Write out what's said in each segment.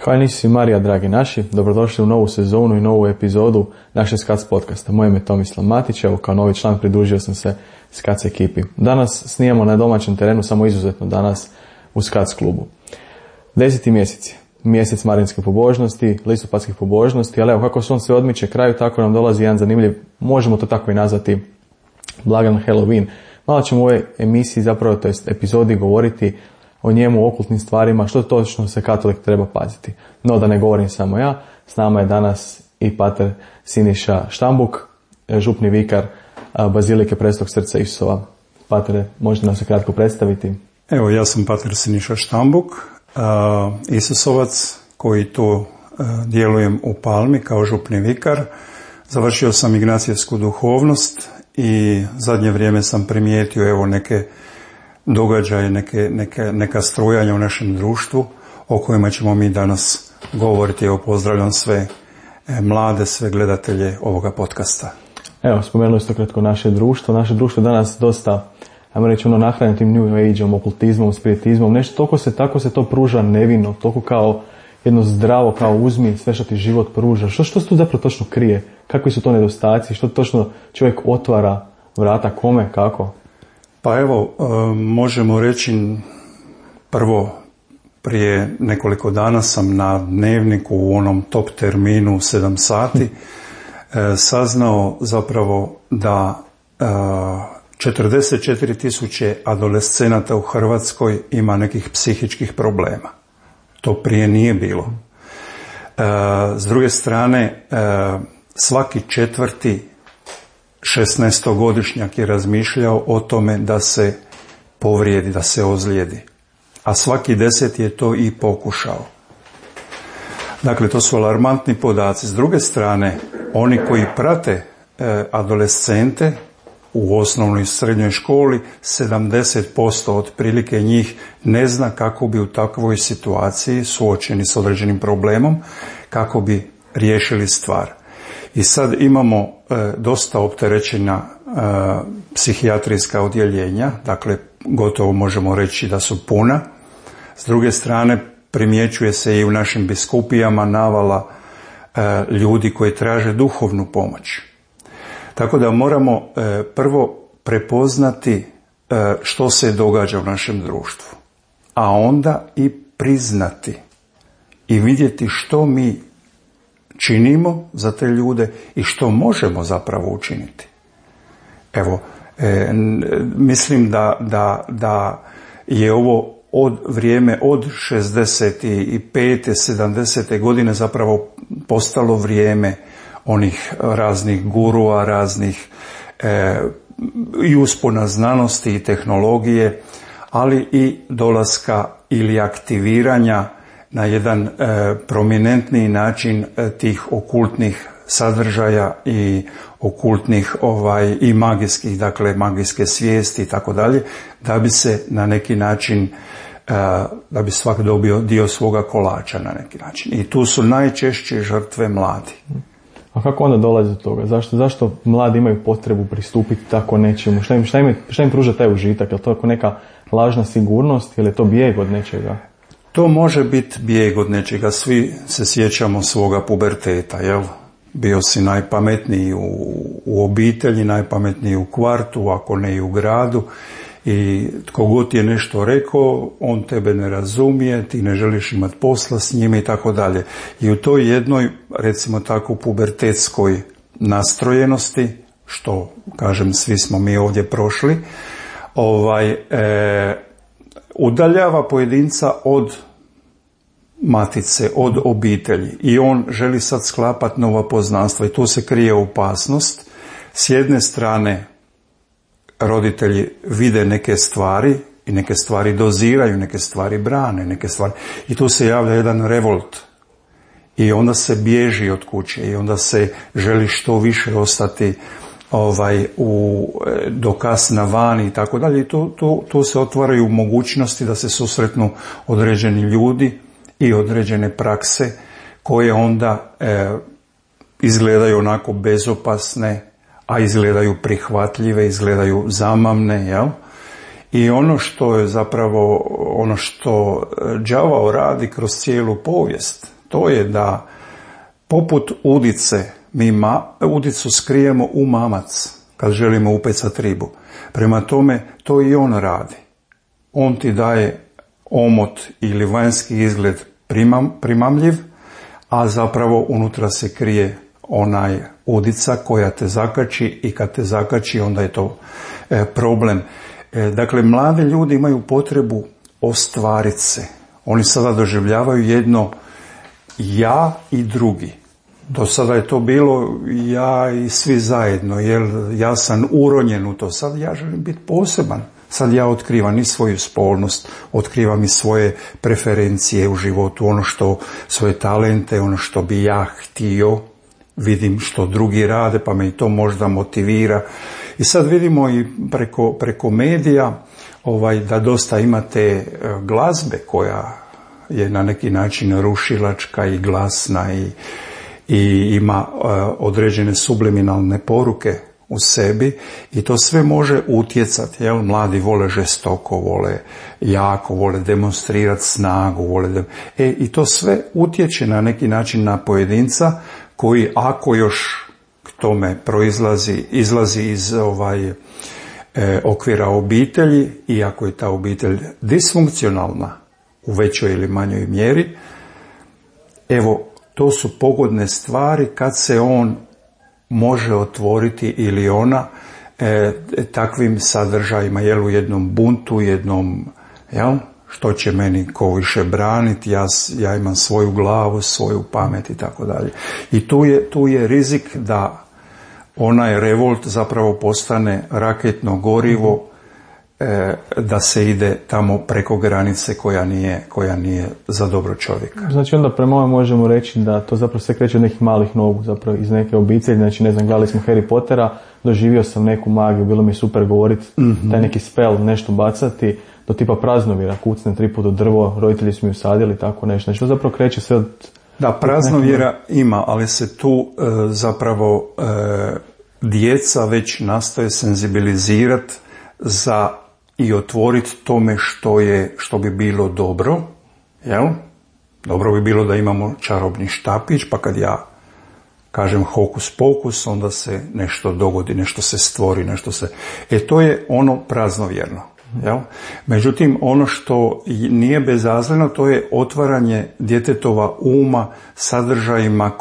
Kao i Isus i Marija, dragi naši, dobrodošli u novu sezonu i novu epizodu naše SCAC podcasta. Moje ime je Tomislav Matić, evo kao novi član pridružio sam se SCAC ekipi. Danas snijemo na domaćem terenu, samo izuzetno danas u SCAC klubu. 10. mjesec marinske pobožnosti, listopadskih pobožnosti, ali evo kako se on sve odmiče kraju, tako nam dolazi jedan zanimljiv, možemo to tako i nazvati, blagan Halloween. Malo ćemo u ovoj emisiji, zapravo to jest epizodi, govoriti o njemu, o okultnim stvarima, što točno se katolik treba paziti. No, da ne govorim samo ja, s nama je danas i pater Siniša Štambuk, župni vikar Bazilike Presvetog srca Isusova. Patere, možete nam se kratko predstaviti? Evo, ja sam pater Siniša Štambuk, Isusovac koji tu djelujem u Palmi kao župni vikar. Završio sam ignacijevsku duhovnost i zadnje vrijeme sam primijetio evo neke događaje, neka strujanja u našem društvu o kojima ćemo mi danas govoriti. Evo, pozdravljam sve mlade, sve gledatelje ovoga podcasta. Evo, spomenuli ste kratko naše društvo. Naše društvo je danas dosta, ajmo reći, nahranjeno tim New Age-om, okultizmom, spiritizmom. Nešto tako se to pruža nevino, toliko kao jedno zdravo, kao uzmi sve što ti život pruža. Što se tu zapravo točno krije? Kakvi su to nedostaci? Što točno čovjek otvara vrata? Kome? Kako? Pa evo, možemo reći prvo, prije nekoliko dana sam na Dnevniku u onom top terminu 7 sati saznao zapravo da 44.000 adolescenata u Hrvatskoj ima nekih psihičkih problema. To prije nije bilo. S druge strane, svaki četvrti 16-godišnjak je razmišljao o tome da se povrijedi, da se ozlijedi. A svaki 10 je to i pokušao. Dakle, to su alarmantni podaci. S druge strane, oni koji prate adolescente u osnovnoj i srednjoj školi, 70% otprilike njih ne zna kako bi u takvoj situaciji, suočeni s određenim problemom, kako bi riješili stvar. I sad imamo dosta opterećena psihijatrijska odjeljenja, dakle gotovo možemo reći da su puna. S druge strane, primjećuje se i u našim biskupijama navala ljudi koji traže duhovnu pomoć. Tako da moramo prvo prepoznati što se događa u našem društvu, a onda i priznati i vidjeti što mi činimo za te ljude i što možemo zapravo učiniti. Evo, mislim da je ovo vrijeme od 65. 70. godine zapravo postalo vrijeme onih raznih gurua, raznih i uspona znanosti i tehnologije, ali i dolaska ili aktiviranja na jedan prominentniji način tih okultnih sadržaja i okultnih i magijskih, dakle magijske svijesti i tako dalje, da bi se na neki način, da bi svak dobio dio svoga kolača na neki način. I tu su najčešće žrtve mladi. A kako onda dolazi do toga? Zašto mladi imaju potrebu pristupiti tako nečemu? Šta im pruža taj užitak? Je li to neka lažna sigurnost ili je to bijeg od nečega? To može biti bijeg od nečega. Svi se sjećamo svoga puberteta, jel? Bio si najpametniji u obitelji, najpametniji u kvartu, ako ne i u gradu. I tko god je nešto rekao, on tebe ne razumije, ti ne želiš imati posla s njime i tako dalje. I u toj jednoj, recimo tako, pubertetskoj nastrojenosti, što, kažem, svi smo mi ovdje prošli, udaljava pojedinca od matice, od obitelji. I on želi sad sklapati nova poznanstva i tu se krije opasnost. S jedne strane, roditelji vide neke stvari i neke stvari doziraju, neke stvari brane, neke stvari. I tu se javlja jedan revolt. I onda se bježi od kuće i onda se želi što više ostati do kasna vani i tako dalje. I tu se otvaraju mogućnosti da se susretnu određeni ljudi i određene prakse koje onda izgledaju onako bezopasne, a izgledaju prihvatljive, izgledaju zamamne, jel? I ono što je zapravo, ono što đavao radi kroz cijelu povijest, to je da poput udice, mi udicu skrijemo u mamac kad želimo upecati ribu. Prema tome, to i on radi. On ti daje omot ili vanjski izgled primamljiv, a zapravo unutra se krije onaj udica koja te zakači i kad te zakači onda je to problem. Dakle, mladi ljudi imaju potrebu ostvariti se. Oni sada doživljavaju jedno ja i drugi. Do sada je to bilo ja i svi zajedno, jer ja sam uronjen u to. Sad ja želim biti poseban. Sad ja otkrivam i svoju spolnost, otkrivam i svoje preferencije u životu, svoje talente, ono što bi ja htio, vidim što drugi rade, pa me i to možda motivira. I sad vidimo i preko medija da dosta imate glazbe koja je na neki način rušilačka i glasna i ima određene subliminalne poruke u sebi i to sve može utjecati. Mladi vole žestoko, vole jako, vole demonstrirati snagu, i to sve utječe na neki način na pojedinca koji, ako još k tome izlazi iz okvira obitelji, i ako je ta obitelj disfunkcionalna u većoj ili manjoj mjeri, to su pogodne stvari kad se on može otvoriti ili ona takvim sadržajima, u jednom buntu, što će meni ko više braniti, ja imam svoju glavu, svoju pamet i tako dalje. I tu je rizik da onaj revolt zapravo postane raketno gorivo, da se ide tamo preko granice koja nije za dobro čovjeka. Znači onda prema ovome možemo reći da to zapravo sve kreće od nekih malih nogu, zapravo iz neke obitelji. Znači, ne znam, gledali smo Harry Pottera, doživio sam neku magiju, bilo mi je super govoriti, taj neki spell, nešto bacati, do tipa praznovjera, kucne 3 puta u drvo, roditelji su mi usadili, tako nešto. Znači to zapravo kreće sve od... Da, praznovjera ima, ali se tu zapravo djeca već nastoje senzibilizirati za i otvoriti tome što bi bilo dobro, Dobro bi bilo da imamo čarobni štapić, pa kad ja kažem hokus pokus, onda se nešto dogodi, nešto se stvori, to je ono praznovjerno. Međutim, ono što nije bezazleno, to je otvaranje djetetova uma sadržajima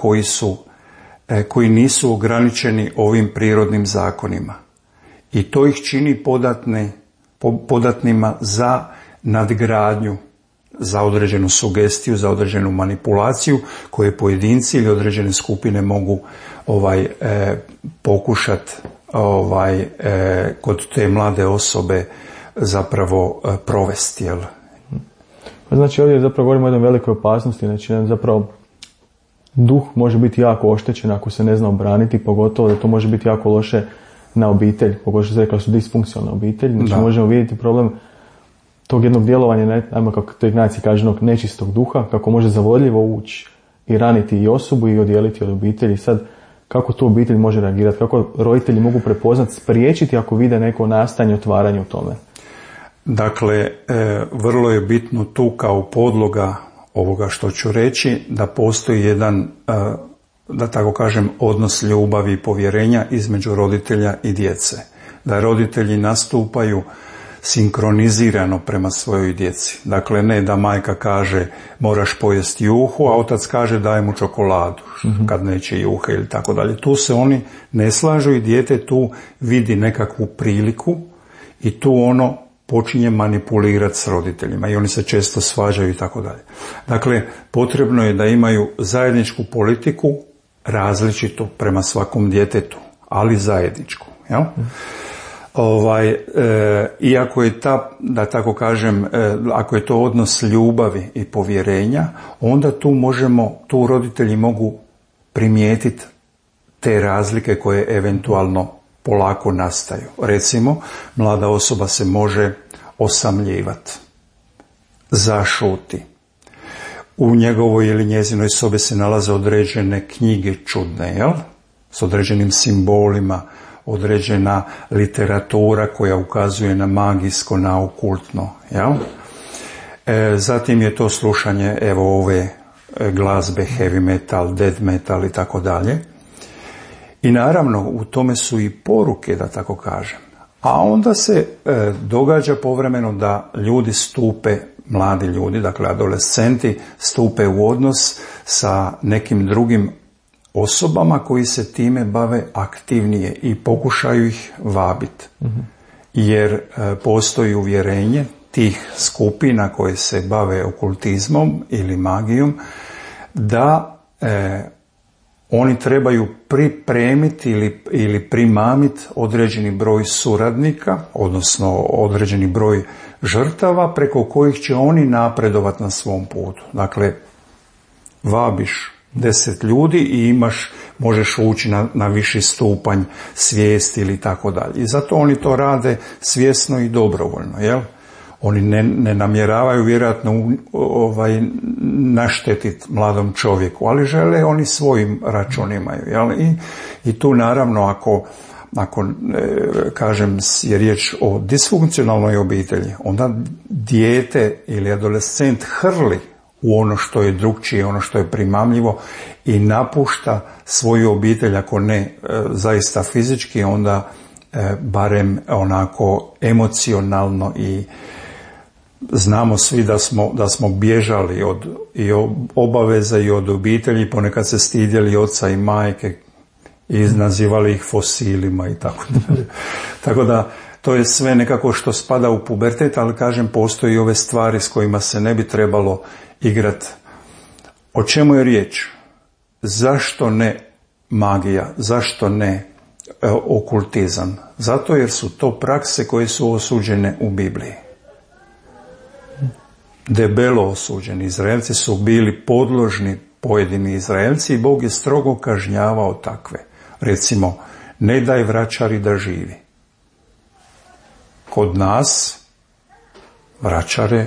koji nisu ograničeni ovim prirodnim zakonima. I to ih čini podatnima za nadgradnju, za određenu sugestiju, za određenu manipulaciju koje pojedinci ili određene skupine mogu pokušati kod te mlade osobe zapravo provesti. Znači ovdje zapravo govorimo o jednoj velikoj opasnosti, znači zapravo duh može biti jako oštećen ako se ne zna obraniti, pogotovo da to može biti jako loše na obitelj, pogotovo što se rekao su disfunkcionalna obitelj, znači možemo vidjeti problem tog jednog djelovanja, ajmo kako to Ignacij kaže, nečistog duha, kako može zavodljivo ući i raniti i osobu i odijeliti od obitelji. Sad, kako tu obitelj može reagirati, kako roditelji mogu prepoznati, spriječiti ako vide neko nastajanje, otvaranje u tome? Dakle, vrlo je bitno tu kao podloga ovoga što ću reći, da postoji jedan, da tako kažem, odnos ljubavi i povjerenja između roditelja i djece. Da roditelji nastupaju sinkronizirano prema svojoj djeci. Dakle, ne da majka kaže moraš pojesti juhu, a otac kaže daj mu čokoladu kad neće juhe ili tako dalje. Tu se oni ne slažu i dijete tu vidi nekakvu priliku i tu ono počinje manipulirati s roditeljima i oni se često svađaju i tako dalje. Dakle, potrebno je da imaju zajedničku politiku, različitu prema svakom djetetu, ali zajedničku. Jel? Iako je da tako kažem, ako je to odnos ljubavi i povjerenja, onda tu roditelji mogu primijetiti te razlike koje eventualno polako nastaju. Recimo, mlada osoba se može osamljivati, zašuti. U njegovoj ili njezinoj sobi se nalaze određene knjige čudne, jel? S određenim simbolima, određena literatura koja ukazuje na magijsko, na okultno. Jel? Zatim je to slušanje ove glazbe, heavy metal, death metal i tako dalje. I naravno u tome su i poruke, da tako kažem. A onda se događa povremeno da ljudi stupe, mladi ljudi, dakle adolescenti, stupe u odnos sa nekim drugim osobama koji se time bave aktivnije i pokušaju ih vabiti. Jer postoji uvjerenje tih skupina koje se bave okultizmom ili magijom da oni trebaju pripremiti ili primamiti određeni broj suradnika, odnosno određeni broj žrtava preko kojih će oni napredovati na svom putu. Dakle, vabiš 10 ljudi i možeš ući na viši stupanj svijesti ili tako dalje. I zato oni to rade svjesno i dobrovoljno, jel? Oni ne namjeravaju vjerojatno naštetiti mladom čovjeku, ali žele oni svojim računima. Jel? I tu naravno ako kažem je riječ o disfunkcionalnoj obitelji, onda dijete ili adolescent hrli u ono što je drukčije, ono što je primamljivo i napušta svoju obitelj, ako ne zaista fizički, onda barem onako emocionalno. I znamo svi da smo bježali od obaveza i od obitelji, ponekad se stidjeli oca i majke i nazivali ih fosilima i tako dalje. Tako da to je sve nekako što spada u pubertet, ali kažem, postoji ove stvari s kojima se ne bi trebalo igrati. O čemu je riječ? Zašto ne magija? Zašto ne okultizam? Zato jer su to prakse koje su osuđene u Bibliji. Debelo osuđeni. Izraelci su bili podložni, pojedini Izraelci, i Bog je strogo kažnjavao takve. Recimo, ne daj vračari da živi. Kod nas vračare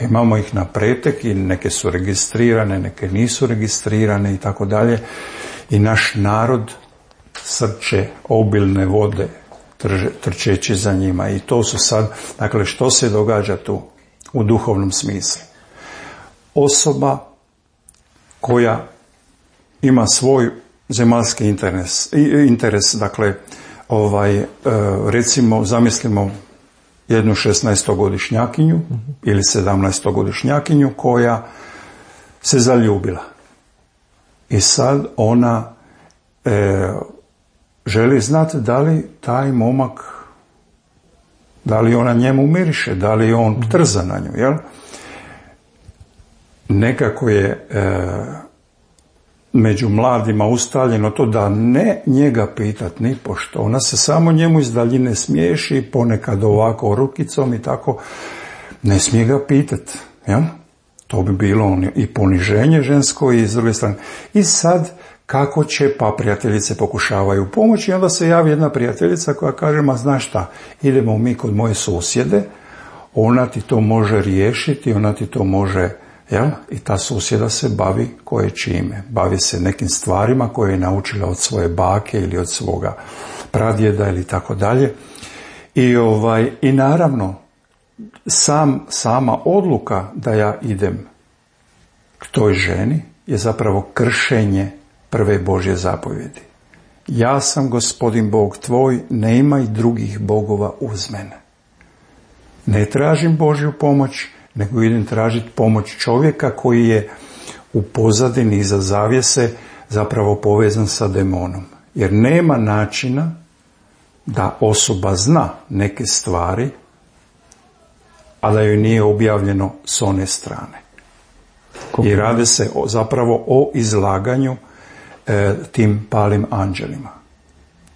imamo ih na pretek i neke su registrirane, neke nisu registrirane i tako dalje. I naš narod srče obilne vode trčeći za njima. I to su sad, dakle, što se događa tu u duhovnom smislu? Osoba koja ima svoj zemaljski interes, dakle, recimo, zamislimo jednu 16-godišnjakinju ili 17-godišnjakinju koja se zaljubila. I sad ona želi znati da li taj momak, da li ona njemu miriše, da li on trza na nju, jel? Nekako je među mladima ustaljeno to da ne njega pitat ni pošto. Ona se samo njemu iz daljine smiješi, ponekad ovako rukicom i tako. Ne smije ga pitat, jel? To bi bilo i poniženje žensko i s druge strane. I sad, kako će, pa prijateljice pokušavaju pomoći, i onda se javi jedna prijateljica koja kaže, ma znaš šta, idemo mi kod moje susjede, ona ti to može riješiti, ona ti to može, jel? I ta susjeda se bavi koje čime. Bavi se nekim stvarima koje je naučila od svoje bake ili od svoga pradjeda ili tako dalje. I naravno, sama odluka da ja idem k toj ženi je zapravo kršenje prve Božje zapovjedi. Ja sam Gospodin Bog tvoj, ne imaj drugih bogova uz mene. Ne tražim Božju pomoć, nego idem tražiti pomoć čovjeka koji je u pozadini iza zavjese zapravo povezan sa demonom. Jer nema načina da osoba zna neke stvari, a da joj nije objavljeno s one strane. I radi se zapravo o izlaganju tim palim anđelima.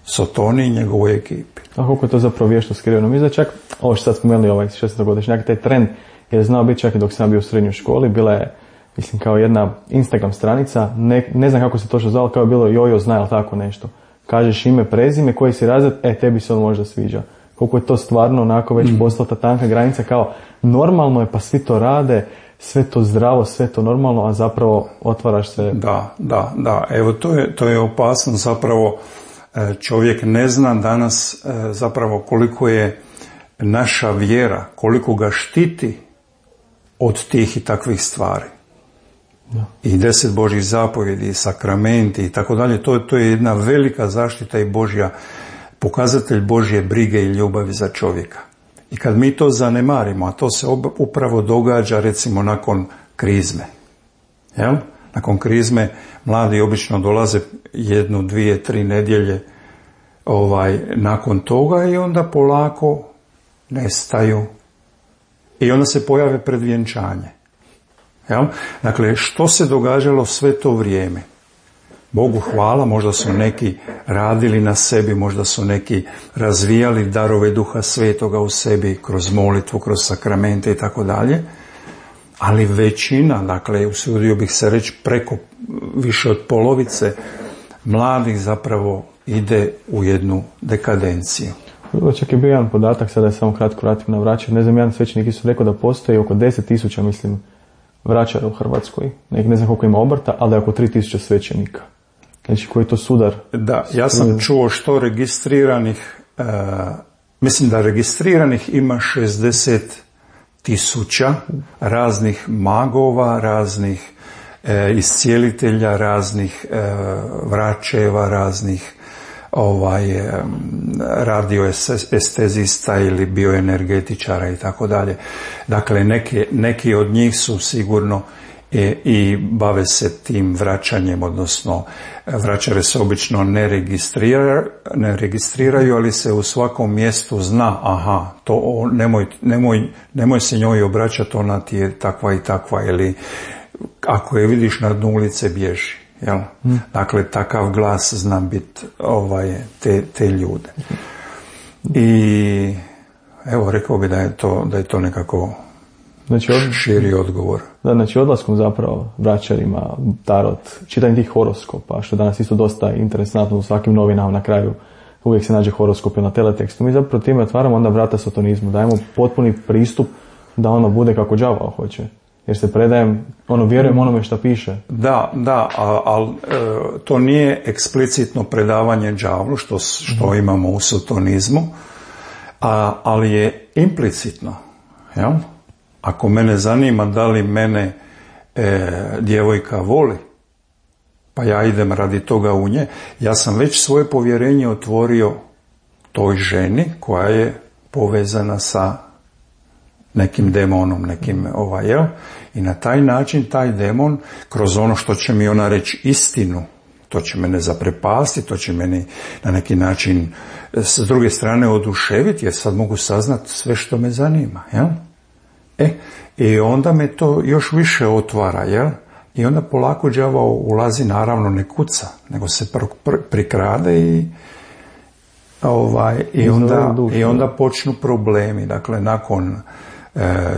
Sotoni i njegovoj ekipi. A koliko je to zapravo vješto skriveno? Mi čak, ovo što sad spomenuli, 16-godišnjak, taj trend je znao biti čak i dok sam bio u srednjoj školi. Bila je, mislim, kao jedna Instagram stranica, ne znam kako se točno zvalo, kao je bilo Jojo zna, ili tako nešto. Kažeš ime, prezime, koji si razred, tebi se on možda sviđa. Koliko je to stvarno onako već postala ta tanka granica, kao normalno je, pa svi to rade, sve to zdravo, sve to normalno, a zapravo otvaraš se... Da. Evo, to je opasno, zapravo čovjek ne zna danas zapravo koliko je naša vjera, koliko ga štiti od tih i takvih stvari. Da. I 10 Božjih zapovjedi, i sakramenti i tako dalje, to je jedna velika zaštita i pokazatelj Božje brige i ljubavi za čovjeka. I kad mi to zanemarimo, a to se upravo događa recimo nakon krizme. Jel? Nakon krizme mladi obično dolaze 1, 2, 3 nedjelje nakon toga i onda polako nestaju. I onda se pojave pred vjenčanje. Jel? Dakle, što se događalo sve to vrijeme? Bogu hvala, možda su neki radili na sebi, možda su neki razvijali darove Duha Svetoga u sebi kroz molitvu, kroz sakramente i tako dalje, ali većina, dakle, usudio bih se reći preko više od polovice mladih zapravo ide u jednu dekadenciju. Čak je bio jedan podatak, sada je samo kratko vratim na vraćanje, ne znam, jedan svećenik su rekao da postoji oko 10.000, mislim, vraćara u Hrvatskoj. Ne znam koliko ima obrta, ali da je oko 3.000 svećenika. Znači, koji je to sudar? Da, ja sam čuo što registriranih, mislim da registriranih ima 60.000 raznih magova, raznih iscijelitelja, raznih vračeva, raznih radioestezista ili bioenergetičara i tako dalje. Dakle, neki od njih su sigurno i bave se tim vraćanjem, odnosno vraćare se obično ne registriraju, ali se u svakom mjestu zna, aha, to nemoj se njoj obraćati, ona ti je takva i takva, ili ako je vidiš na dnu ulice, bježi. Jel? Dakle, takav glas zna biti te ljude. I evo, rekao bi da je to nekako širi odgovor. Da, znači odlaskom zapravo vraćarima, tarot, čitanje tih horoskopa, što danas isto dosta interesantno u svakim novinama na kraju uvijek se nađe horoskop na teletekstu. Mi zapravo time otvaramo onda vrata satanizmu, dajemo potpuni pristup da ono bude kako đavao hoće. Jer se predajem, vjerujem onome što piše. Da, ali to nije eksplicitno predavanje đavlu, što imamo u satanizmu, ali je implicitno. Jel? Ako mene zanima da li mene djevojka voli, pa ja idem radi toga u nje, ja sam već svoje povjerenje otvorio toj ženi koja je povezana sa nekim demonom, i na taj način taj demon, kroz ono što će mi ona reći istinu, to će mene zaprepasti, to će meni na neki način s druge strane oduševiti, jer sad mogu saznati sve što me zanima, jel? I onda me to još više otvara, jel? I onda polako đavao ulazi, naravno ne kuca, nego se prikrade i onda počnu problemi. Dakle, nakon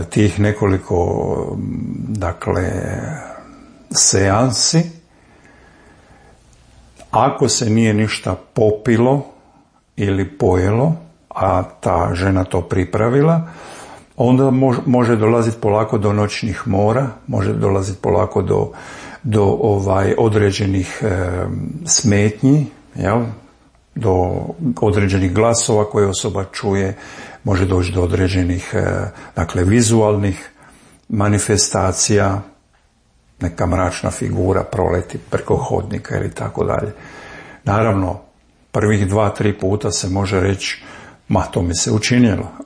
tih nekoliko seansi, ako se nije ništa popilo ili pojelo, a ta žena to pripravila, onda može dolaziti polako do noćnih mora, može dolaziti polako do određenih smetnji, jel? Do određenih glasova koje osoba čuje, može doći do određenih vizualnih manifestacija, neka mračna figura proleti preko hodnika ili tako dalje. Naravno, prvih 2-3 puta se može reći, to mi se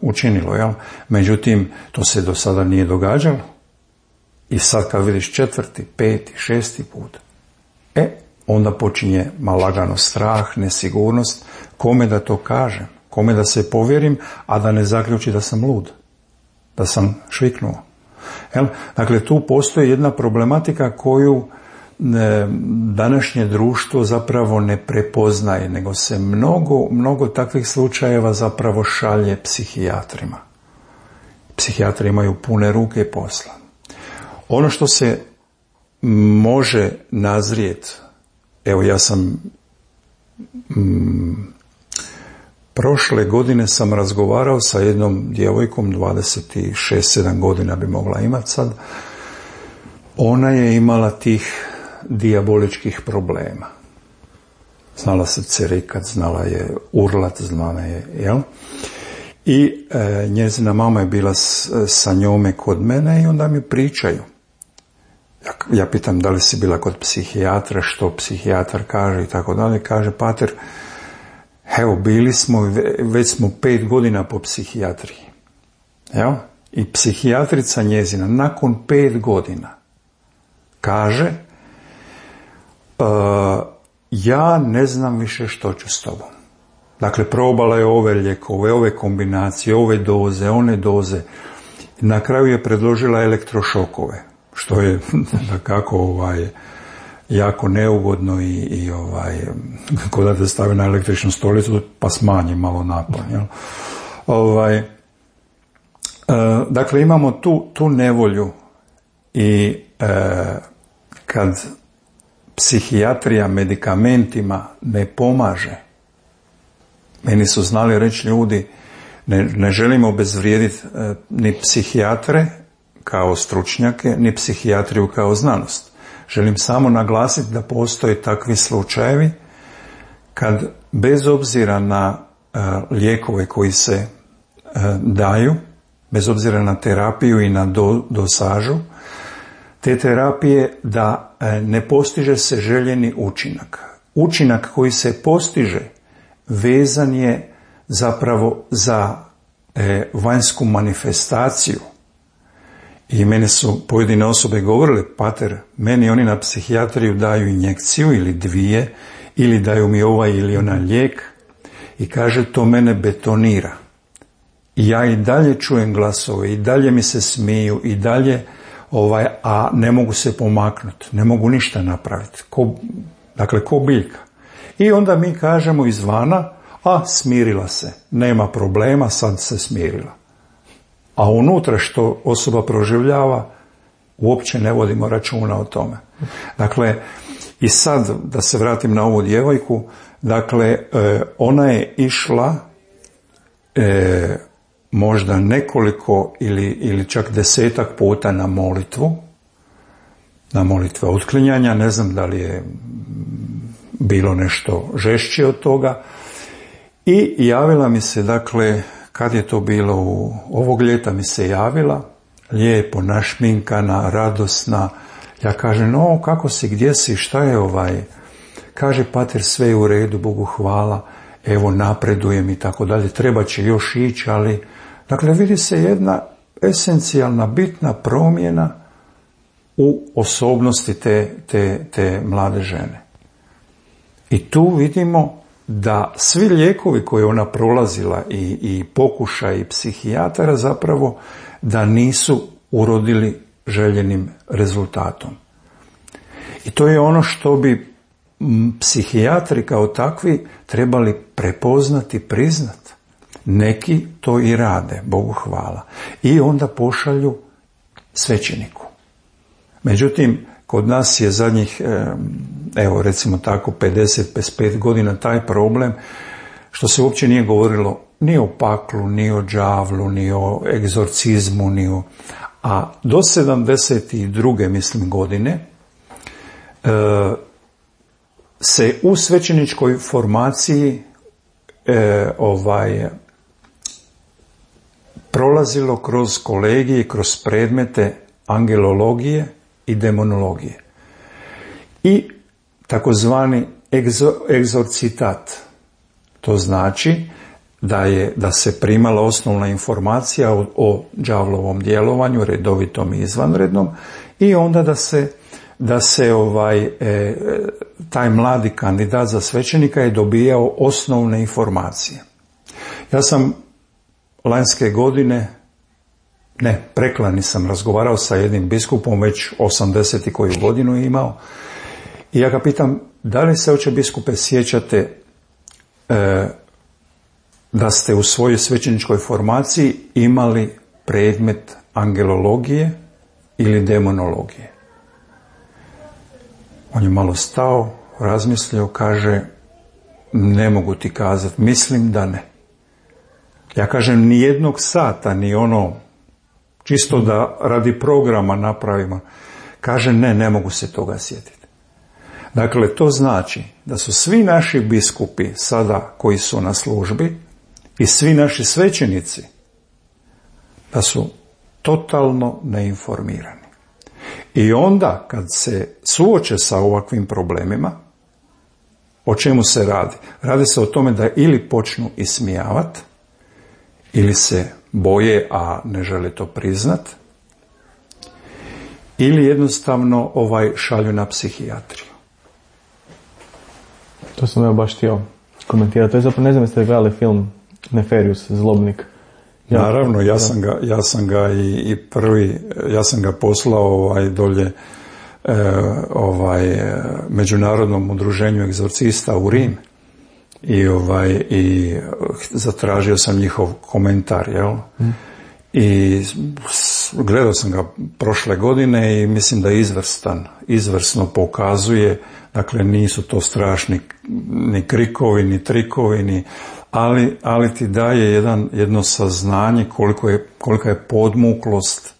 učinilo, jel? Međutim, to se do sada nije događalo. I sad kad vidiš 4., 5., 6. put, onda počinje lagano strah, nesigurnost, kome da to kažem, kome da se povjerim, a da ne zaključi da sam lud, da sam šviknuo. Jel? Dakle, tu postoji jedna problematika koju današnje društvo zapravo ne prepoznaje, nego se mnogo takvih slučajeva zapravo šalje psihijatrima. Psihijatri imaju pune ruke posla. Ono što se može nazrijeti, evo ja sam prošle godine sam razgovarao sa jednom djevojkom, 26-7 godina bi mogla imati sad. Ona je imala tih dijaboličkih problema. Znala se cerikat, znala je urlat, znala je, jel? I njezina mama je bila sa njome kod mene i onda mi pričaju. Ja pitam da li si bila kod psihijatra, što psihijatar kaže i tako dalje. Kaže, pater, evo, bili smo, već smo 5 godina po psihijatriji. Evo, i psihijatrica njezina nakon 5 godina kaže, ja ne znam više što ću s tobom. Dakle, probala je ove lijekove, ove kombinacije, ove doze, one doze. Na kraju je predložila elektrošokove, što je dakako jako neugodno i ko da te stavi na električnu stolicu pa smanji malo napon. Dakle, imamo tu nevolju i kad psihijatrija medikamentima ne pomaže, meni su znali reći ljudi, ne želimo obezvrijediti ni psihijatre kao stručnjake, ni psihijatriju kao znanost. Želim samo naglasiti da postoje takvi slučajevi kad bez obzira na lijekove koji se daju, bez obzira na terapiju i na dosažu, te terapije da ne postiže se željeni učinak. Učinak koji se postiže vezan je zapravo za vanjsku manifestaciju. I mene su pojedine osobe govorile, pater, meni oni na psihijatriju daju injekciju ili 2, ili daju mi ovaj ili onaj lijek i kaže, to mene betonira. I ja i dalje čujem glasove, i dalje mi se smiju, i dalje, a ne mogu se pomaknuti, ne mogu ništa napraviti. Dakle, ko biljka. I onda mi kažemo izvana, smirila se, nema problema, sad se smirila. A unutra što osoba proživljava, uopće ne vodimo računa o tome. Dakle, i sad, da se vratim na ovu djevojku, dakle, ona je išla možda nekoliko ili čak 10-ak puta na molitve otklinjanja, ne znam da li je bilo nešto žešće od toga. I javila mi se, dakle, kad je to bilo, ovog ljeta mi se javila, lijepo, našminkana, radosna. Ja kažem, kako si, gdje si, šta je Kaže, pater, sve je u redu, Bogu hvala, evo, napredujem i tako dalje, treba će još ići, ali, dakle, vidi se jedna esencijalna, bitna promjena u osobnosti te mlade žene. I tu vidimo da svi lijekovi koje ona prolazila i pokušaj psihijatara zapravo da nisu urodili željenim rezultatom. I to je ono što bi psihijatri kao takvi trebali prepoznati, priznati. Neki to i rade, Bogu hvala. I onda pošalju svećeniku. Međutim, kod nas je zadnjih, evo recimo tako, 50-55 godina taj problem što se uopće nije govorilo ni o paklu, ni o đavlu, ni o egzorcizmu, a do 72. mislim godine se u svećeničkoj formaciji prolazilo kroz kolegije, kroz predmete angelologije i demonologije. I takozvani egzorcitat. To znači da se primala osnovna informacija o đavlovom djelovanju, redovitom i izvanrednom, i onda da se taj mladi kandidat za svećenika je dobijao osnovne informacije. Ja sam lanjske godine, preklani sam razgovarao sa jednim biskupom, već 80 koju godinu je imao, i ja ga pitam, da li se, oče biskupe, sjećate da ste u svojoj svećeničkoj formaciji imali predmet angelologije ili demonologije? On je malo stao, razmislio, kaže, ne mogu ti kazati, mislim da ne. Ja kažem, ni jednog sata, ni čisto da radi programa napravimo. Kaže, ne mogu se toga sjetiti. Dakle, to znači da su svi naši biskupi sada koji su na službi i svi naši svećenici da su totalno neinformirani. I onda kad se suoče sa ovakvim problemima, o čemu se radi? Radi se o tome da ili počnu ismijavati, ili se boje, a ne žele to priznat, ili jednostavno šalju na psihijatriju. To sam ja baš htio komentirati. To je zapravo, ne znam jeste gledali film Neferius, Zlobnik. Naravno, ja sam ga i prvi, ja sam ga poslao dolje Međunarodnom udruženju egzorcista u Rim i zatražio sam njihov komentar, jel? I gledao sam ga prošle godine i mislim da je izvrsno pokazuje, dakle nisu to strašni ni krikovi, ni trikovi, ali ti daje jedno saznanje kolika je podmuklost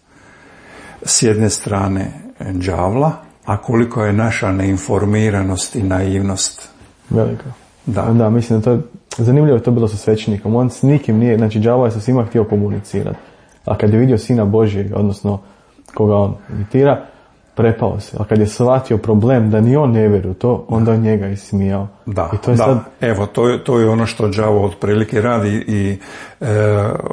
s jedne strane đavla, a koliko je naša neinformiranost i naivnost. Velika. Da, mislim da to je zanimljivo je to bilo sa svećenikom. On s nikim nije, znači đavo je sa svima htio komunicirati. A kad je vidio Sina Božjeg, odnosno koga on imitira, prepao se. A kad je shvatio problem da ni on ne vjeruje u to, onda on njega ismijao. Da, i to je sad... Evo, to je ono što đavo otprilike radi i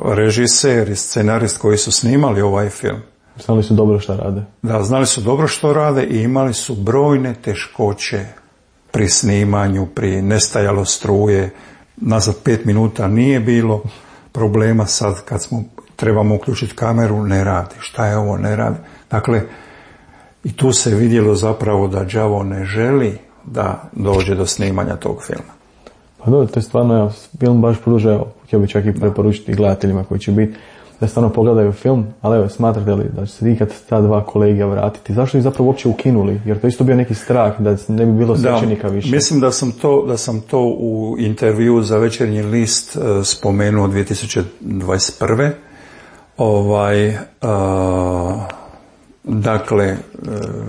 režiser i scenarist koji su snimali ovaj film. Znali su dobro što rade. Da, znali su dobro što rade i imali su brojne teškoće pri snimanju, pri nestajalo struje. Nazad 5 minuta nije bilo problema, sad kad trebamo uključiti kameru, ne radi. Šta je ovo, ne radi. Dakle, i tu se vidjelo zapravo da đavo ne želi da dođe do snimanja tog filma. Pa dobro, to je stvarno, film baš pruža, htio bi čak i preporučiti gledateljima koji će biti, da stvarno pogledaju film, ali evo, smatrate li da će se ikad ta dva kolegija vratiti? Zašto ih zapravo uopće ukinuli? Jer to isto bio neki strah da ne bi bilo svećenika više. Mislim da sam to u intervju za Večernji list spomenuo 2021. Dakle,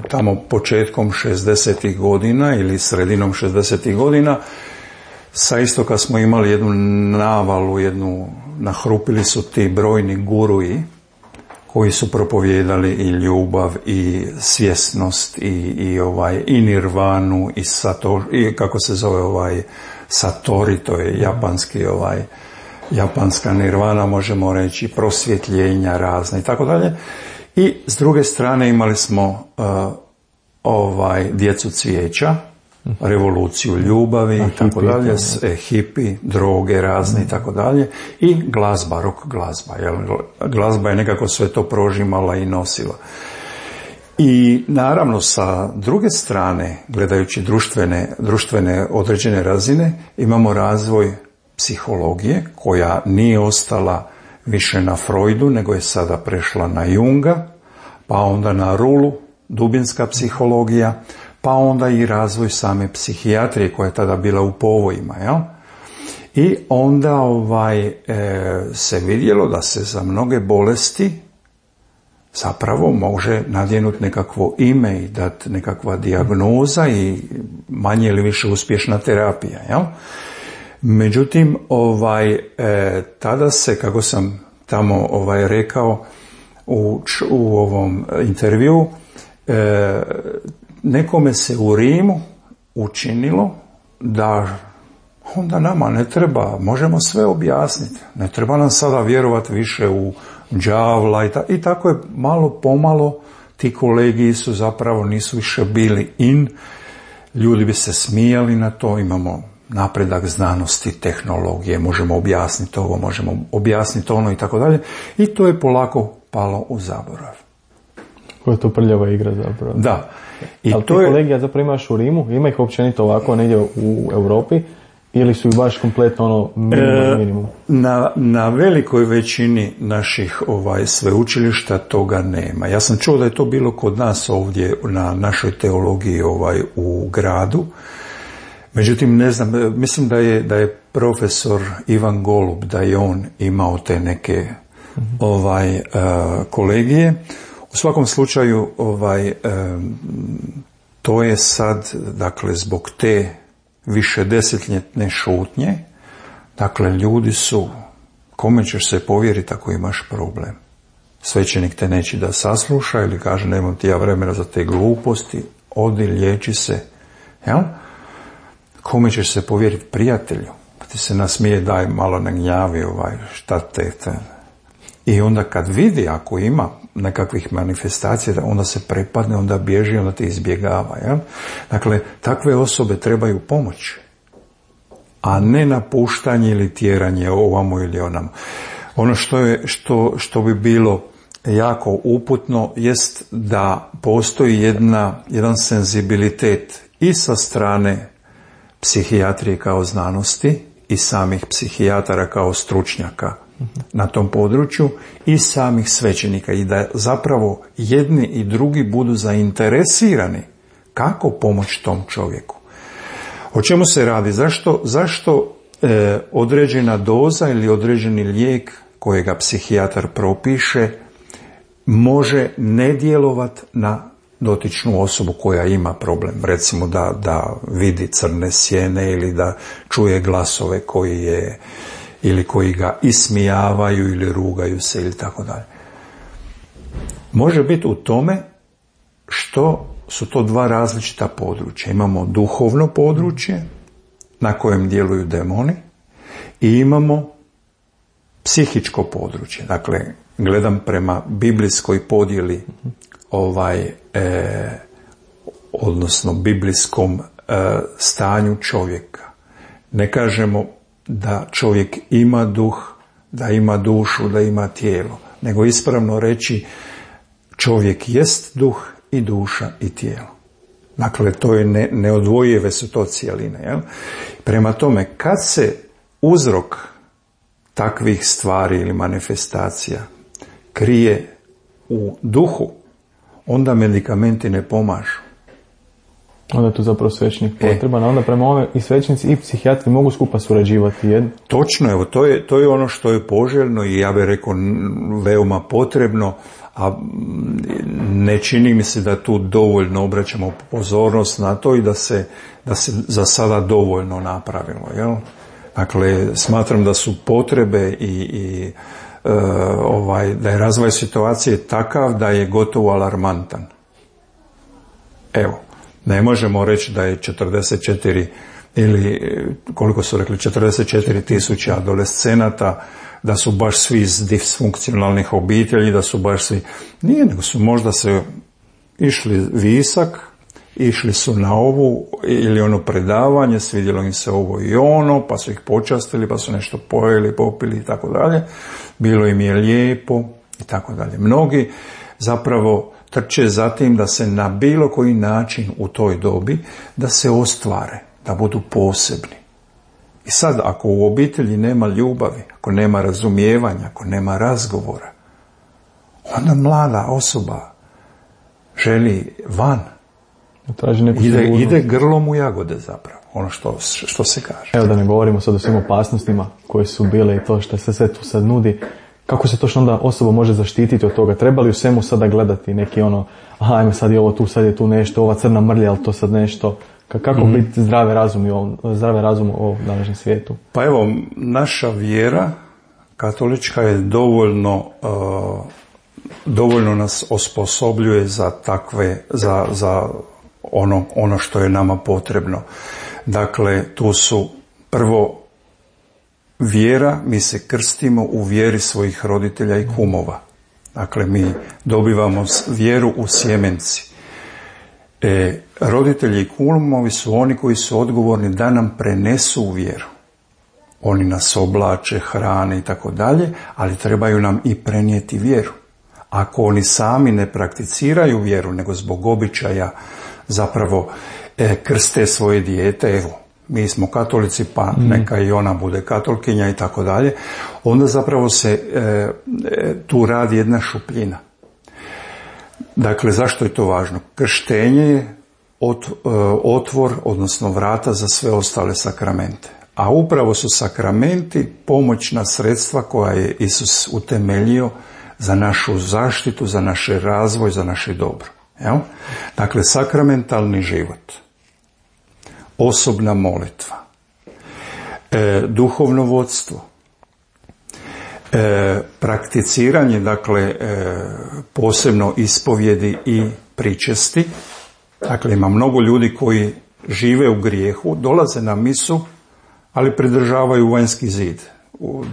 tamo početkom 60. godina ili sredinom 60. godina sa istoka smo imali jednu navalu, nahrupili su ti brojni guruji koji su propovijedali i ljubav i svjesnost i nirvanu i kako se zove satori, to je japanska nirvana, možemo reći, prosvjetljenja razne i tako dalje. I s druge strane imali smo djecu cvijeća, revoluciju ljubavi i tako dalje, hipi, droge razne i tako dalje, i glazba, rock glazba. Glazba je nekako sve to prožimala i nosila. I naravno sa druge strane, gledajući društvene određene razine, imamo razvoj psihologije koja nije ostala više na Freudu, nego je sada prešla na Junga, pa onda na Rulu, dubinska psihologija, pa onda i razvoj same psihijatrije koja je tada bila u povojima, jel? I onda se vidjelo da se za mnoge bolesti zapravo može nadjenuti nekakvo ime i dati nekakva dijagnoza i manje ili više uspješna terapija, jel? Međutim, tada se, kako sam tamo rekao u ovom intervju, nekome se u Rimu učinilo da onda nama ne treba, možemo sve objasniti, ne treba nam sada vjerovati više u đavla i tako je malo pomalo ti kolegiji su zapravo nisu više bili ljudi bi se smijali na to, imamo napredak znanosti, tehnologije, možemo objasniti ovo, možemo objasniti ono i tako dalje, i to je polako palo u zaborav. Koja je to prljava igra zapravo. Da. Ali ti kolegija zapravo imaš u Rimu, ima ih općenito ovako negdje u Europi, ili su ih baš kompletno minimum? Na velikoj većini naših sveučilišta toga nema. Ja sam čuo da je to bilo kod nas ovdje na našoj teologiji u gradu. Međutim, ne znam, mislim da je profesor Ivan Golub, da je on imao te neke kolegije. U svakom slučaju, to je sad, dakle, zbog te višedesetljetne šutnje, dakle, ljudi su Kome ćeš se povjeriti ako imaš problem? Svećenik te neće da sasluša ili kaže nemam ti ja vremena za te gluposti, odi, liječi se. Jel? Kome ćeš se povjeriti? Prijatelju. Pa ti se nasmije, daj malo ne gnjavi, šta te. I onda kad vidi, ako ima nekakvih manifestacija, onda se prepadne, onda bježi, onda te izbjegava. Jel? Dakle, takve osobe trebaju pomoć, a ne napuštanje ili tjeranje ovamo ili onamo. Ono što bi bilo jako uputno jest da postoji jedan senzibilitet i sa strane psihijatrije kao znanosti i samih psihijatara kao stručnjaka na tom području i samih svećenika, i da zapravo jedni i drugi budu zainteresirani kako pomoći tom čovjeku. O čemu se radi? Zašto određena doza ili određeni lijek kojega psihijatar propiše može ne djelovati na dotičnu osobu koja ima problem? Recimo da vidi crne sjene ili da čuje glasove koji ga ismijavaju ili rugaju se ili tako dalje. Može biti u tome što su to dva različita područja. Imamo duhovno područje na kojem djeluju demoni i imamo psihičko područje. Dakle, gledam prema biblijskoj podjeli odnosno biblijskom stanju čovjeka. Ne kažemo da čovjek ima duh, da ima dušu, da ima tijelo, nego ispravno reći čovjek jest duh i duša i tijelo. Dakle, to je neodvojive su to cijeline. Jel? Prema tome, kad se uzrok takvih stvari ili manifestacija krije u duhu, onda medikamenti ne pomažu. Onda je tu zapravo svećenik potreban, onda prema ovome i svećenici i psihijatri mogu skupa surađivati jedno. Točno, evo, to je ono što je poželjno i ja bih rekao veoma potrebno, a ne čini mi se da tu dovoljno obraćamo pozornost na to i da se za sada dovoljno napravilo. Jel? Dakle, smatram da su potrebe i da je razvoj situacije takav da je gotovo alarmantan. Evo, ne možemo reći da je 44 ili koliko su rekli 44.000 adolescenata, da su baš svi iz disfunkcionalnih obitelji, da su baš svi... Nije, nego su možda se išli visak, išli su na ovu ili ono predavanje, svidjelo im se ovo i ono, pa su ih počastili, pa su nešto pojeli, popili i tako dalje. Bilo im je lijepo i tako dalje. Mnogi zapravo trče za tim da se na bilo koji način u toj dobi da se ostvare, da budu posebni. I sad, ako u obitelji nema ljubavi, ako nema razumijevanja, ako nema razgovora, onda mlada osoba želi van. Ide grlom u jagode zapravo, ono što se kaže. Evo da ne govorimo sad o svim opasnostima koje su bile i to što se sve tu sad nudi. Kako se točno onda osoba može zaštititi od toga? Treba li u svemu sada gledati neki ajme sad je ovo tu, sad je tu nešto, ova crna mrlja, ali to sad nešto... Kako biti zdrave razum u ovom današnjem svijetu? Pa evo, naša vjera katolička je dovoljno nas osposobljuje za takve, za ono što je nama potrebno. Dakle, tu su prvo vjera, mi se krstimo u vjeri svojih roditelja i kumova. Dakle, mi dobivamo vjeru u sjemenci. Roditelji i kumovi su oni koji su odgovorni da nam prenesu vjeru. Oni nas oblače, hrane i tako dalje, ali trebaju nam i prenijeti vjeru. Ako oni sami ne prakticiraju vjeru, nego zbog običaja zapravo krste svoje dijete, evo, mi smo katolici, pa neka i ona bude katolkinja i tako dalje, onda zapravo se tu radi jedna šupljina. Dakle, zašto je to važno? Krštenje je otvor, odnosno vrata za sve ostale sakramente. A upravo su sakramenti pomoćna sredstva koja je Isus utemeljio za našu zaštitu, za naš razvoj, za naše dobro. Jel? Dakle, sakramentalni život, osobna molitva, duhovno vodstvo, Prakticiranje, dakle, posebno ispovjedi i pričesti. Dakle, ima mnogo ljudi koji žive u grijehu, dolaze na misu, ali pridržavaju vanjski zid.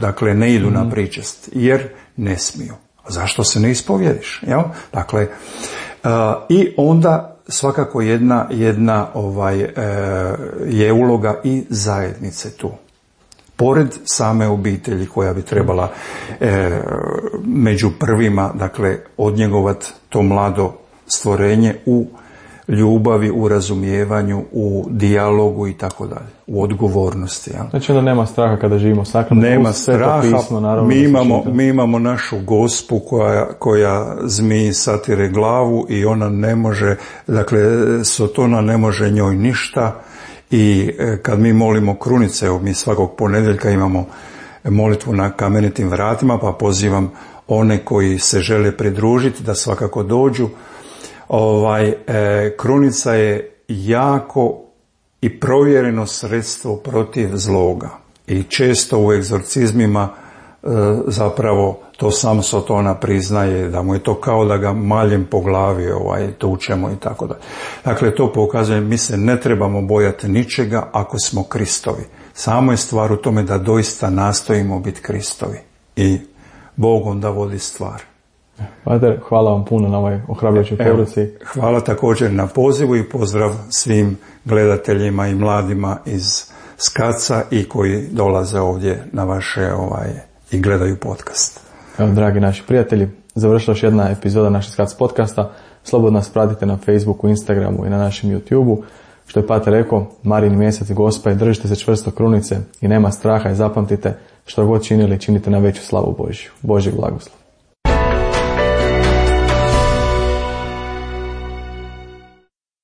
Dakle, ne idu na pričest, jer ne smiju. A zašto se ne ispovjediš? Jel? Dakle, i onda svakako jedna je uloga i zajednice tu. Pored same obitelji koja bi trebala među prvima, dakle, odnjegovati to mlado stvorenje u ljubavi, u razumijevanju, u dijalogu i tako dalje, u odgovornosti. Ja. Znači da nema straha kada živimo sakrament. Nema straha, pismo, mi imamo našu Gospu koja zmiji satire glavu i ona ne može, dakle, Sotona ne može njoj ništa. I kad mi molimo krunice, mi svakog ponedjeljka imamo molitvu na kamenitim vratima, pa pozivam one koji se žele pridružiti da svakako dođu. Krunica je jako i provjereno sredstvo protiv zloga. I često u egzorcizmima zapravo to sam Sotona priznaje, da mu je to kao da ga maljem po glavi tučemo i tako da. Dakle, to pokazuje, mi se ne trebamo bojati ničega ako smo Kristovi. Samo je stvar u tome da doista nastojimo biti Kristovi. I Bog onda vodi stvar. Pater, hvala vam puno na ovoj ohrabrujućoj poruci. Hvala također na pozivu i pozdrav svim gledateljima i mladima iz Skaca i koji dolaze ovdje na vaše i gledaju podcast. Evo, dragi naši prijatelji, završila još jedna epizoda naše Skac podcasta. Slobodno nas pratite na Facebooku, Instagramu i na našem YouTubeu. Što je Pater rekao, Marin mjesec Gospa i držite se čvrsto krunice i nema straha i zapamtite, što god činili, činite na veću slavu Božju. Božji blagoslov.